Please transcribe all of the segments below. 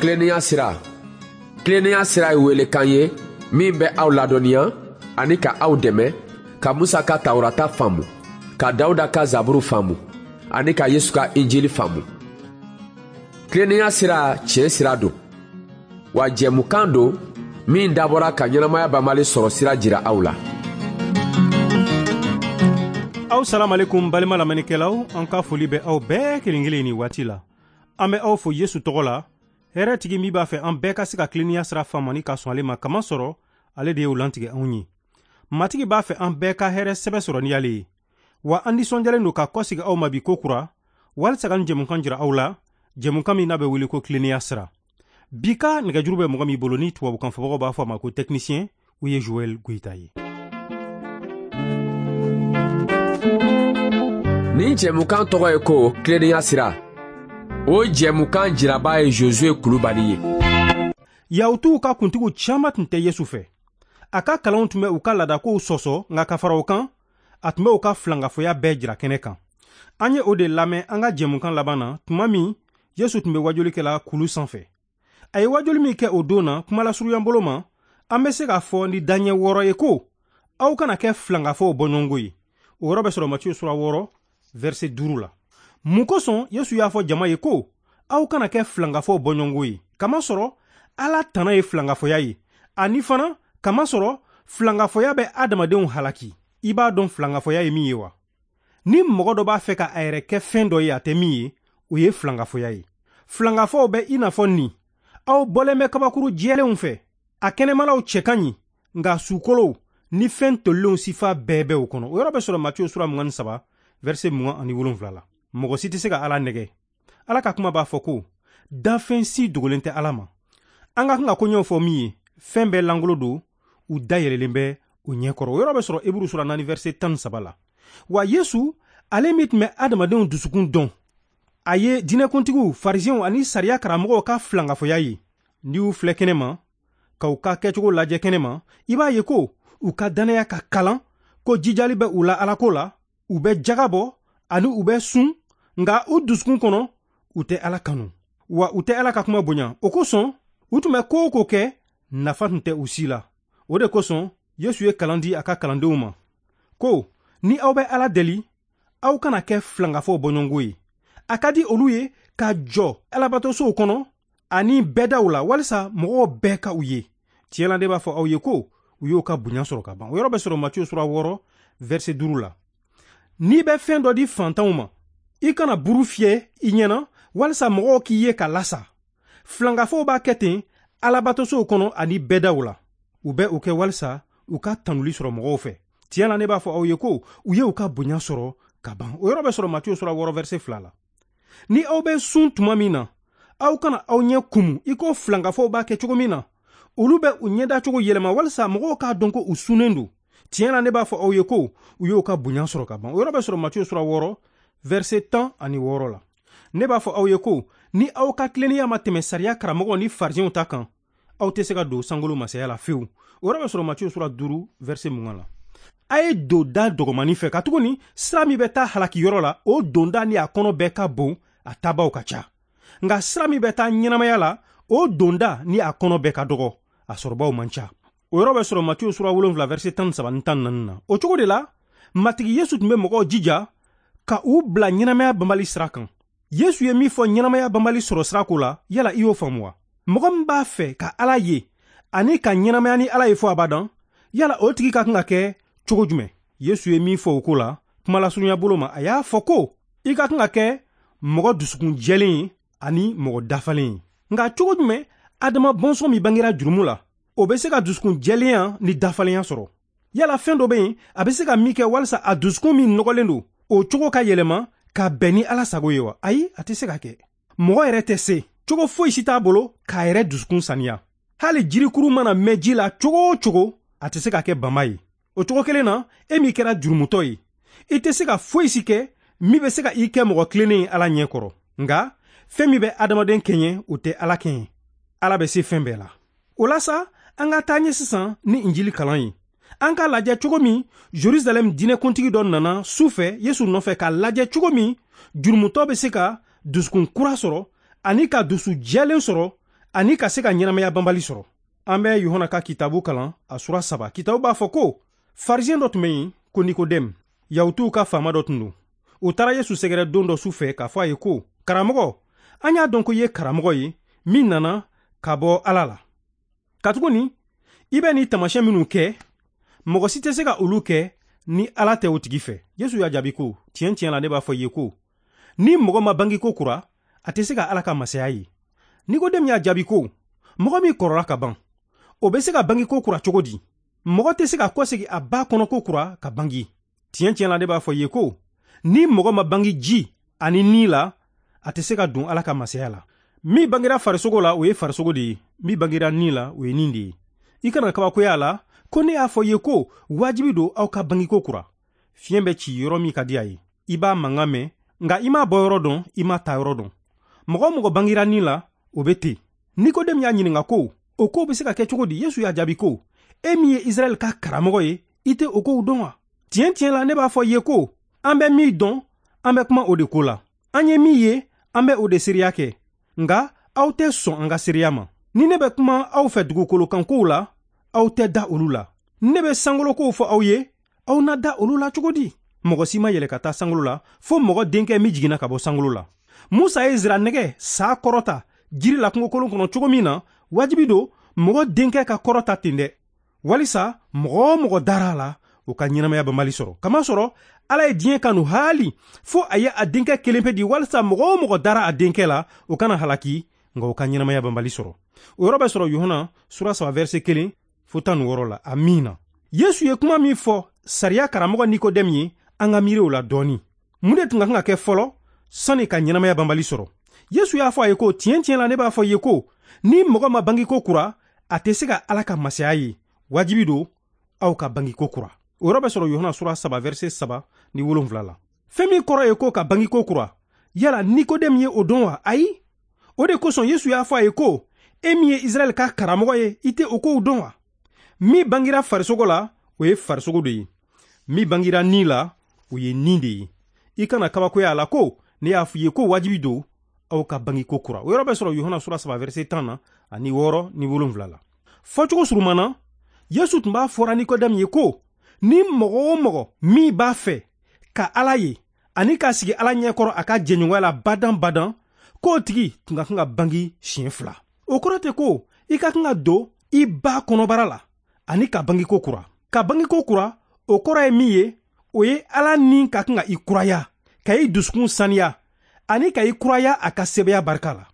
Tilennenya sira. Tilennenya sira ye welekan ye min bɛ aw ladɔnniya ani ka aw dɛmɛ ka Musa ka Tawurata faamu, ka Dawuda ka Zaburu faamu ani ka Yesu ka Injili faamu. Tilennenya sira tiɲɛ sira don. Wa jɛmukan don min dabɔra ka ɲɛnamaya banbali sɔrɔ sira jira aw la. Aw salamalekum balima lamɛnnikɛlaw, an ka foli bɛ aw bɛɛ kelen kelen nin waati la. An bɛ aw fo Yesu tɔgɔ la, hɛrɛ tigi min b'a fɛ an bɛɛ ka se ka tilennenya sira faamu ani ka sɔn ale ma, kamasɔrɔ ale de y'o lantigɛ anw ye. Matigi b'a fɛ an bɛɛ ka hɛrɛ sɛbɛ sɔrɔ ni ale ye. Wa an nisɔndiyalen don ka kɔsegi aw ma bi ko kura, walisa ka nin jɛmukan jira aw la, jɛmukan min n'a bɛ wele ko tilennenya sira. Bi ka nɛgɛjuru bɛ mɔgɔ min bolo ni tubabukan fɔbagaw b'a fɔ a ma ko technicien, o ye Joël Goïta ye. Nin jɛmukan tɔgɔ ye ko tilennenya sira. O jɛmukan jiraba ye Josué Kulubali ye. Yahutuw ka kuntigiw caman tun tɛ Yesu fɛ. A ka kalanw tun bɛ u ka laadakow sɔsɔ, nka ka fara o kan, a tun bɛ u ka filankafoya bɛɛ jira kɛnɛ kan. An ye o de lamɛn an ka jɛmukan laban na, tuma min Yesu tun bɛ wajuli kɛla kulu sanfɛ. A ye wajuli min kɛ o don na, kumalasurunya bolo ma, an bɛ se k'a fɔ ni daɲɛ wɔɔrɔ ye ko aw kana kɛ filankafow bɔɲɔgɔnko ye. O yɔrɔ bɛ sɔrɔ Matiyu sura 6, verset 5 la. Mun kosɔn Yesu y'a fɔ jama ye ko aw kana kɛ filankafow bɔɲɔgɔnko ye? Kamasɔrɔ Ala tana ye filankafoya ye, ani fana kamasɔrɔ filankafoya bɛ adamadenw halaki. I b'a dɔn filankafoya ye min ye wa? Ni mɔgɔ dɔ b'a fɛ ka a yɛrɛ kɛ fɛn dɔ ye a tɛ min ye, o ye filankafoya ye. Filankafow bɛ i n'a fɔ nin: aw bɔlen bɛ kabakuru jɛlenw fɛ, a kɛnɛmalaw cɛ ka ɲi, nka sukolow ni fɛn tolilenw sifa bɛɛ bɛ o kɔnɔ. O yɔrɔ bɛ sɔrɔ Matiyu sura 23, verset 27 la. Mɔgɔ si tɛ se ka Ala nɛgɛ. Ala ka kuma b'a fɔ ko danfɛn si dogolen tɛ Ala ma. An ka kan ka koɲɛw fɔ min ye, fɛn bɛɛ langolo don, u dayɛlɛlen bɛ o ɲɛkɔrɔ. O yɔrɔ bɛ sɔrɔ Eburu sura 4, verset 13 la. Wa Yesu, ale min tun bɛ adamadenw dusukun dɔn, a ye diinɛkuntigiw, farisiɛnw ani sariya karamɔgɔw ka filankafoya ye. N'i y'u filɛ kɛnɛ ma, ka u ka kɛcogo lajɛ kɛnɛ ma, i b'a ye ko u ka dannaya ka kalan, ko jijali bɛ u la Alako la, u bɛ jaga bɔ ani u bɛ sun, nka u dusukun kɔnɔ u tɛ Ala kanu, wa u tɛ Ala ka kuma bonya. O kosɔn u tun bɛ ko o ko kɛ, nafa tun tɛ u si la. O de kosɔn Yesu ye kalan di a ka kalandenw ma ko ni aw bɛ Ala deli, aw kana kɛ filankafow bɔɲɔgɔnko ye. A ka di olu ye ka jɔ alabatosow kɔnɔ ani bɛɛdaw la walisa mɔgɔw bɛɛ ka u ye. Tiɲɛ la, ne b'a fɔ aw ye ko u y'o ka bonya sɔrɔ ka ban. O yɔrɔ bɛ sɔrɔ Matiyu sura 6, verset 5 la. N'i bɛ fɛn dɔ di fantanw ma, i kana buru fiyɛ i ɲɛna walisa mɔgɔw k'i ye ka lasa. Filankafow b'a kɛ ten alabatosow kɔnɔ ani bɛɛdaw la. U bɛ o kɛ walisa u ka tanuli sɔrɔ mɔgɔw fɛ. Tiɲɛ la, ne b'a fɔ aw ye ko u ye u ka bonya sɔrɔ ka ban. O yɔrɔ bɛ sɔrɔ Matiyu sura 6, verset 2 la. Ni aw bɛ sun tuma min na, aw kana aw ɲɛ kumu i ko filankafow b'a kɛ cogo min na. Olu bɛ u ɲɛdacogo yɛlɛma walisa mɔgɔw k'a dɔn ko u sunnen don. Tiɲɛ la, ne b'a fɔ aw ye ko u y'u ka bonya sɔrɔ ka ban. O yɔrɔ bɛ sɔrɔ Matiyu sura 6, verset 16 la. Ne b'a fɔ aw ye ko ni aw ka tilennenya ma tɛmɛ sariya karamɔgɔw ni farisiɛnw ta kan, aw tɛ se ka don sankolo masaya la fewu. O yɔrɔ bɛ sɔrɔ Matiyu sura 5, verset 20 la. A ye don da dɔgɔmanin fɛ, katuguni sira min bɛ taa halakiyɔrɔ la, o donda ni a kɔnɔ bɛɛ ka bon, a tabaw ka ca. Nka sira min bɛ taa ɲɛnamaya la, o donda ni a kɔnɔ bɛɛ ka dɔgɔ, a sɔrɔbaw man ca. O yɔrɔ bɛ sɔrɔ Matiyu sura 7, verset 13 ni 14 na. O cogo de la, Matigi Yesu tun bɛ mɔgɔw jija ka u bila ɲɛnamaya banbali sira kan. Yesu ye min fɔ ɲɛnamaya banbali sɔrɔ sira ko la, yala i y'o faamu wa? Mɔgɔ min b'a fɛ ka Ala ye ani ka ɲɛnamaya ni Ala ye fɔ abadan, yala o tigi ka kan ka kɛ cogo jumɛn? Yesu ye min fɔ o ko la, kumalasurunya bolo ma, a y'a fɔ ko i ka kan ka kɛ mɔgɔ dusukun jɛlen ye ani mɔgɔ dafalen ye. Nka cogo jumɛn Adama bɔnsɔn min bangera jurumu la, o bɛ se ka dusukun jɛlenya ni dafalenya sɔrɔ? Yala fɛn dɔ bɛ yen a bɛ se ka min kɛ walisa a dusukun min nɔgɔlen don, o cogo ka yɛlɛma ka bɛn ni Ala sago ye wa? Ayi, a tɛ se ka kɛ. Mɔgɔ yɛrɛ tɛ se, cogo foyi si t'a bolo k'a yɛrɛ dusukun saniya. Hali jirikuru mana mɛn ji la cogo o cogo, a tɛ se ka kɛ bama ye. O cogo kelen na, e min kɛra jurumutɔ ye, i tɛ se ka foyi si kɛ min bɛ se ka i kɛ mɔgɔ tilennen ye Ala ɲɛ kɔrɔ. Nka fɛn min bɛ adamaden kɛɲɛ, o tɛ Ala kɛɲɛ. Ala bɛ se fɛn bɛɛ la. O la sa, an ka taa ɲɛ sisan ni Injili kalan ye. An k'a lajɛ cogo min Jerusalɛm diinɛkuntigi dɔ nana su fɛ Yesu nɔfɛ k'a lajɛ cogo min jurumutɔ bɛ se ka dusukun kura sɔrɔ ani ka dusu jɛlen sɔrɔ ani ka se ka ɲɛnamaya banbali sɔrɔ. An bɛ Yohana ka kitabu kalan a sura 3. Kitabu b'a fɔ ko farisiyɛn dɔ tun bɛ yen ko Nikodɛmu, Yahutuw ka faama dɔ tun don. O taara Yesu sɛgɛrɛ don dɔ su fɛ k'a fɔ a ye ko, karamɔgɔ, an y'a dɔn ko i ye karamɔgɔ ye min nana ka bɔ Ala la. Katuguni i bɛ nin taamasiyɛn minnu kɛ, mɔgɔ si tɛ se ka olu kɛ ni Ala tɛ o tigi fɛ. Yesu y'a jaabi ko, tiɲɛ tiɲɛ la ne b'a fɔ i ye ko, ni mɔgɔ ma bange ko kura, a tɛ se ka Ala ka masaya ye. Nikodɛmu y'a jaabi ko, mɔgɔ min kɔrɔla ka ban, o bɛ se ka bange ko kura cogo di? Mɔgɔ tɛ se ka kɔsegin a ba kɔnɔ ko kura ka bange. Tiɲɛ tiɲɛ la ne b'a fɔ i ye ko, ni mɔgɔ ma bange ji ani ni la, a tɛ se ka don Ala ka masaya la. Min bangera farisogo la, o ye farisogo de ye. Min bangera ni la, o ye ni de ye. I kana kabakoya a la ko ne y'a fɔ i ye ko wajibi don aw ka bange ko kura. Fiɲɛ bɛ ci yɔrɔ min ka di a ye, i b'a mankan mɛn, nka i m'a bɔ yɔrɔ dɔn, i m'a ta yɔrɔ dɔn. Mɔgɔ o mɔgɔ bangera ni la, o bɛ ten. Nikodɛmu y'a ɲininka ko, o kow bɛ se ka kɛ cogo di? Yesu y'a jaabi ko, e min ye Israɛl ka karamɔgɔ ye, i tɛ o kow dɔn wa? Tiɲɛ tiɲɛ la ne b'a fɔ i ye ko, an bɛ min dɔn, an bɛ kuma o de ko la. An ye min ye, an bɛ o de seereya kɛ. Nka aw tɛ sɔn an ka seereya ma. Ni ne bɛ kuma aw fɛ dugukolo kan kow la, aw tɛ da olu la. Ni ne bɛ sankolo kow fɔ aw ye, aw na da olu la cogo di? Mɔgɔ si ma yɛlɛ ka taa sankolo la, fo mɔgɔ denkɛ min jiginna ka bɔ sankolo la. Musa ye nsiranɛgɛ sa kɔrɔta jiri la kungokolon kɔnɔ cogo min na, wajibi don mɔgɔ denkɛ ka kɔrɔta ten dɛ, walisa mɔgɔ o mɔgɔ dara a la, o ka ɲɛnamaya banbali sɔrɔ. Kamasɔrɔ Ala ye diɲɛ kanu haali fo a ye a denkɛ kelen pe di, walisa mɔgɔ o mɔgɔ dara a denkɛ la, o kana halaki, nka o ka ɲɛnamaya banbali sɔrɔ. O yɔrɔ bɛ sɔrɔ Yohana sura 3 verset 1 fo 16 la. Amiina. Yesu ye kuma min fɔ sariya karamɔgɔ Nikodɛmu ye, an ka miiri o la dɔɔni. Mun de tun ka kan ka kɛ fɔlɔ sani ka ɲɛnamaya banbali sɔrɔ? Yesu y'a fɔ a ye ko, tiɲɛ tiɲɛ la ne b'a fɔ i ye ko, ni mɔgɔ ma bange ko kura, a tɛ se ka Ala ka masaya ye. Wajibi don aw ka bange ko kura. O yɔrɔ bɛ sɔrɔ Yohana sura 3 verset 3 ni 7 la. Fɛn min kɔrɔ ye ko ka bange ko kura, yala Nikodɛmu ye o dɔn wa? Ayi. O de kosɔn Yesu y'a fɔ a ye ko, e min ye Israɛl ka karamɔgɔ ye, i tɛ o kow dɔn wa? Min bangera farisogo la, o ye farisogo de ye. Min bangera ni la, o ye ni de ye. I kana kabakoya a la ko ne y'a fɔ i ye ko wajibi don aw ka bange ko kura. O yɔrɔ bɛ sɔrɔ Yohana sura 3 verset 10 na ani 6 ni 7 la. Fɔcogo surunman na, Yesu tun b'a fɔra Nikodɛmu ye ko, ni mɔgɔ o mɔgɔ min b'a fɛ ka Ala ye ani k'a sigi Ala ɲɛkɔrɔ a ka jɛɲɔgɔnya la badan badan, k'o tigi tun ka kan ka bange siɲɛ 2. O kɔrɔ tɛ ko i ka kan ka don i ba kɔnɔbara la ani ka bange ko kura. Ka bange ko kura, o kɔrɔ ye min ye, o ye Ala ni ka kan ka i kuraya, ka i dusukun saniya ani ka i kuraya a ka sɛbɛya barika la.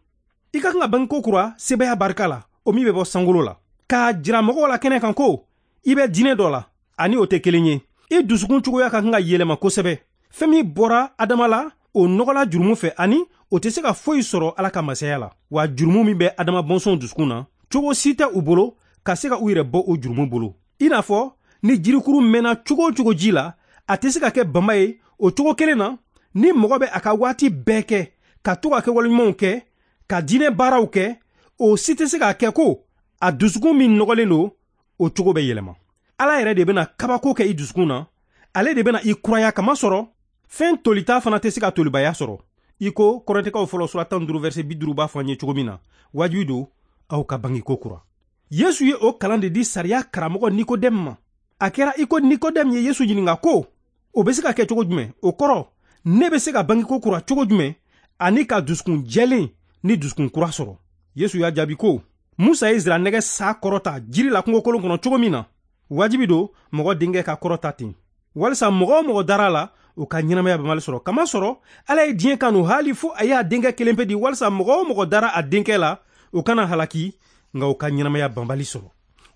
I ka kan ka bange ko kura sɛbɛya barika la, o min bɛ bɔ sankolo la. K'a jira mɔgɔw la kɛnɛ kan ko i bɛ diinɛ dɔ la, ani o tɛ kelen ye. I dusukun cogoya ka kan ka yɛlɛma kosɛbɛ. Fɛn min bɔra Adama la, o nɔgɔla jurumu fɛ, ani o tɛ se ka foyi sɔrɔ Ala ka masaya la. Wa jurumu min bɛ Adama bɔnsɔnw dusukun na, cogo si tɛ u bolo ka se ka u yɛrɛ bɔ o jurumu bolo. I n'a fɔ ni jirikuru mɛnna cogo o cogo ji la, a tɛ se ka kɛ bama ye. O cogo kelen na, ni mɔgɔ bɛ a ka waati bɛɛ kɛ ka to ka kɛwale ɲumanw kɛ, ka diinɛ baaraw kɛ, o si tɛ se k'a kɛ ko a dusukun min nɔgɔlen don, o cogo bɛ yɛlɛma. Ala yɛrɛ de bɛna kabako kɛ i dusukun na, ale de bɛna i kuraya, kamasɔrɔ fɛn tolita fana tɛ se ka tolibaya sɔrɔ. I ko Kɔrɛntɛkaw fɔlɔ sura 15 verset 50 b'a fɔ an ye cogo min na, wajibi don aw ka bange ko kura. Yesu ye o kalan de di sariya karamɔgɔ Nikodɛmu ma. A kɛra i ko Nikodɛmu ye Yesu ɲininka ko, o bɛ se ka kɛ cogo jumɛn? O kɔrɔ, ne bɛ se ka bange ko kura cogo jumɛn ani ka dusukun jɛlen ni dusukun kura sɔrɔ? Yesu y'a jaabi ko, Musa ye nsiranɛgɛ sa kɔrɔta jiri la kungokolon kɔnɔ cogo min na, wajibi don mɔgɔ denkɛ ka kɔrɔta ten, walisa mɔgɔ o mɔgɔ dara a la, o ka ɲɛnamaya banbali sɔrɔ. Kamasɔrɔ Ala ye diɲɛ kanu haali fo a y'a denkɛ kelen pe di, walisa mɔgɔ o mɔgɔ dara a denkɛ la, o kana halaki, nka o ka ɲɛnamaya banbali sɔrɔ.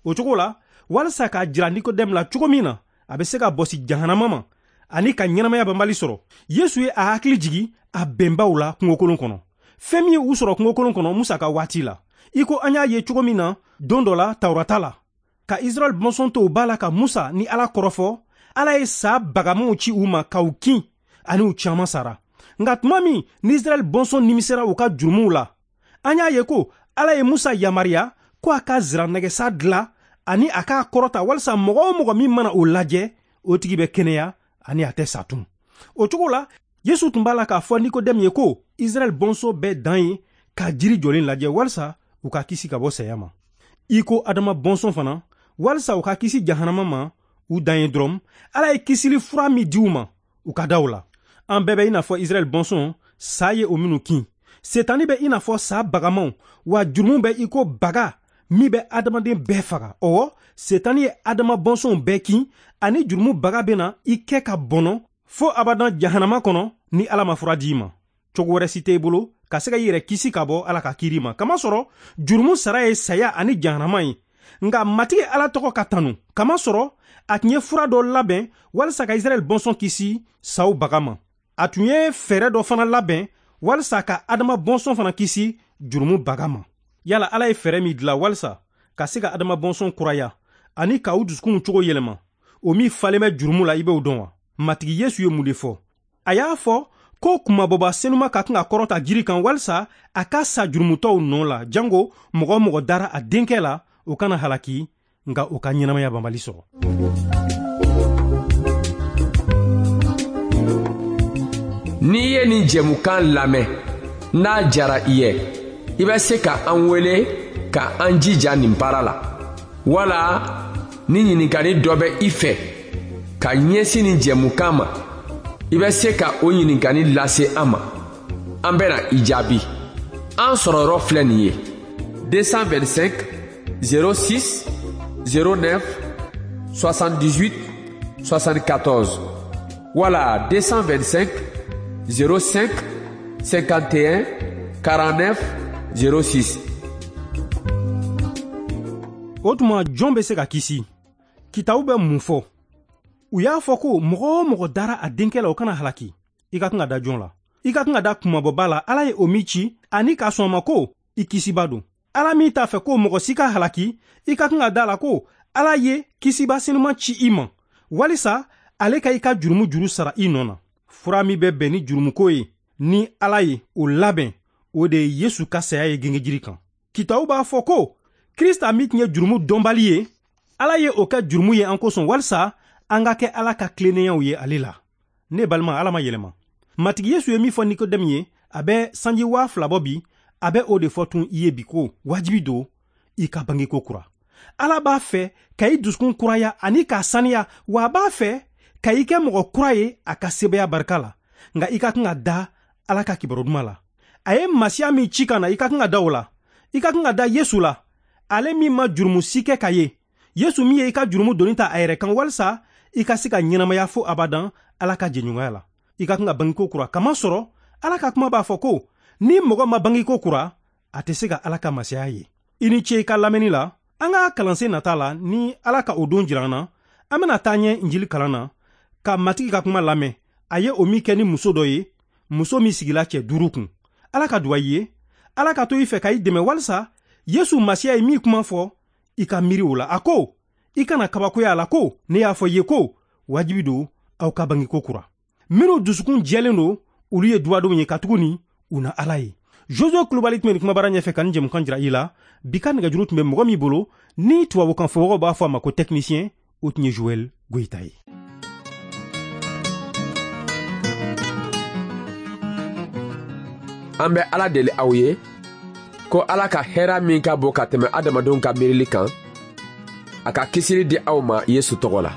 O cogo la, walisa k'a jira Nikodɛmu la cogo min na a bɛ se ka bɔsi jahanama ma ani ka ɲɛnamaya banbali sɔrɔ, Yesu ye a hakili jigi a bɛnbaw la kungokolon kɔnɔ. Fɛn min ye u sɔrɔ kungokolon kɔnɔ Musa ka waati la, i ko an y'a ye cogo min na don dɔ la Tawurata la, ka Israɛl bɔnsɔn to u ba la ka Musa ni Ala kɔrɔfɔ, Ala ye sa bagamanw ci u ma k'u kin, ani u caman sara. Nka tuma min ni Israɛl bɔnsɔn nimisera u ka jurumuw la, an y'a ye ko Ala ye Musa yamaruya ko a ka nsiranɛgɛsa dilan ani a k'a kɔrɔta, walisa mɔgɔ o mɔgɔ min mana o lajɛ, o tigi bɛ kɛnɛya ani a tɛ sa tun. O cogo la, Yesu tun b'a la k'a fɔ Nikodɛmu ye ko Israɛl bɔnsɔn bɛɛ dan ye ka jiri jɔlen lajɛ walisa u ka kisi ka bɔ saya ma. I ko Adama bɔnsɔn fana, walisa u ka kisi jahanama ma, u dan ye dɔrɔn Ala ye kisili fura min di u ma, u ka da o la. An bɛɛ bɛ i n'a fɔ Israɛl bɔnsɔn, sa ye o minnu kin. Setani bɛ i n'a fɔ sa bagamaw, wa jurumu bɛ i ko baga min bɛ adamaden bɛɛ faga. Ɔwɔ, Setani ye Adama bɔnsɔnw bɛɛ kin, ani jurumu baga bɛna i kɛ ka bɔnɔ fo abadan jahanama kɔnɔ ni Ala ma fura di i ma. Cogo wɛrɛ si tɛ i bolo ka se ka i yɛrɛ kisi ka bɔ Ala ka kiiri ma, kamasɔrɔ jurumu sara ye saya ani jahanama ye. Nka Matigi Ala tɔgɔ ka tanu, kamasɔrɔ a tun ye fura dɔ labɛn walisa ka Israɛl bɔnsɔn kisi saw baga ma. A tun ye fɛɛrɛ dɔ fana labɛn walisa ka Adama bɔnsɔn fana kisi jurumu baga ma. Yala Ala ye fɛɛrɛ min dilan walisa ka se ka Adama bɔnsɔn kuraya ani ka u dusukunw cogo yɛlɛma, o min falen bɛ jurumu la, i b'o dɔn wa? Matigi Yesu ye mun de fɔ? A y'a fɔ ko kunmabɔba senuma ka kan ka kɔrɔta jiri kan walisa a ka sa jurumutɔw nɔ la, jango mɔgɔ o mɔgɔ dara a denkɛ la, o kana halaki, nka o ka ɲɛnamaya banbali sɔrɔ. N'i ye nin jɛmukan lamɛn, n'a jara i ye, i bɛ se ka an wele ka an jija nin baara la, wala ni ɲininkali dɔ bɛ i fɛ ka ɲɛsin nin jɛmukan ma, i bɛ se ka o ɲininkali lase an ma, an bɛna i jaabi. An sɔrɔyɔrɔ filɛ nin ye: 225 06 09 78 74 wala 225 05 51 49 06. O tuma, jɔn bɛ se ka kisi? Kitabu bɛ mun fɔ? U y'a fɔ ko mɔgɔ o mɔgɔ dara a denkɛ la, o kana halaki. I ka kan ka da jɔn la? I ka kan ka da kunmabɔba la, Ala ye o min ci, ani k'a sɔn a ma ko i kisiba don. Ala min t'a fɛ ko mɔgɔ si ka halaki, i ka kan ka da la ko Ala ye kisiba senuman ci i ma walisa ale ka i ka jurumu juru sara i nɔ na. Fura min bɛ bɛn ni jurumuko ye ni Ala ye o labɛn, o de ye Yesu ka saya ye gengejiri kan. Kitabu b'a fɔ ko Krista min tun ye jurumu dɔnbali ye, Ala ye o kɛ jurumu ye an kosɔn, walisa an ka kɛ Ala ka tilennenyaw ye ale la. Ne balima, Ala ma yɛlɛma. Matigi Yesu ye min fɔ Nikodɛmu ye, a bɛ sanji 2000 bɔ bi, a bɛ o de fɔ tun i ye bi ko wajibi don i ka bangeko kura. Ala b'a fɛ ka i dusukun kuraya ani k'a saniya, wa a b'a fɛ ka i kɛ mɔgɔ kura ye a ka sebaya barika la. Nka i ka kan ka da Ala ka kibaru duman la. A ye Masiya min ci ka na, i ka kan ka da o la. I ka kan ka da Yesu la, ale min ma jurumu si kɛ ka ye. Yesu min ye i ka jurumu doni ta a yɛrɛ kan walisa i ka se ka ɲɛnamaya fo abadan Ala ka jɛɲɔgɔnya la. I ka kan ka bangeko kura, kamasɔrɔ Ala ka kuma b'a fɔ ko ni mɔgɔ ma bangeko kura, a tɛ se ka Ala ka masaya ye. I ni ce i ka lamɛnni la. An ka kalansen nata la, ni Ala ka o don jira an na, an bɛna taa ɲɛ Injili kalan na ka Matigi ka kuma lamɛn. A ye o min kɛ ni muso dɔ ye, muso min sigila cɛ 5 kun. Ala ka duwa i ye, Ala ka to i fɛ ka i dɛmɛ walisa Yesu Masiya ye min kuma fɔ, i ka miiri o la. A ko i kana kabakoya a la ko ne y'a fɔ i ye ko wajibi don aw ka bangeko kura. Minnu dusukun jɛlen don, olu ye duwadenw ye, katuguni u na Ala ye. Josué Kulubali tun bɛ nin kumabara ɲɛfɛ ka nin jɛmukan jira i la. Bi ka nɛgɛjuru tun bɛ mɔgɔ min bolo, ni tubabukan fɔbagaw b'a fɔ a ma ko technicien, o tun ye Joël Goyita ye. An bɛ Ala deli aw ye ko Ala ka hɛrɛ min ka bon ka tɛmɛ adamadenw ka miirili kan, a ka kisili di aw ma Yesu tɔgɔ la.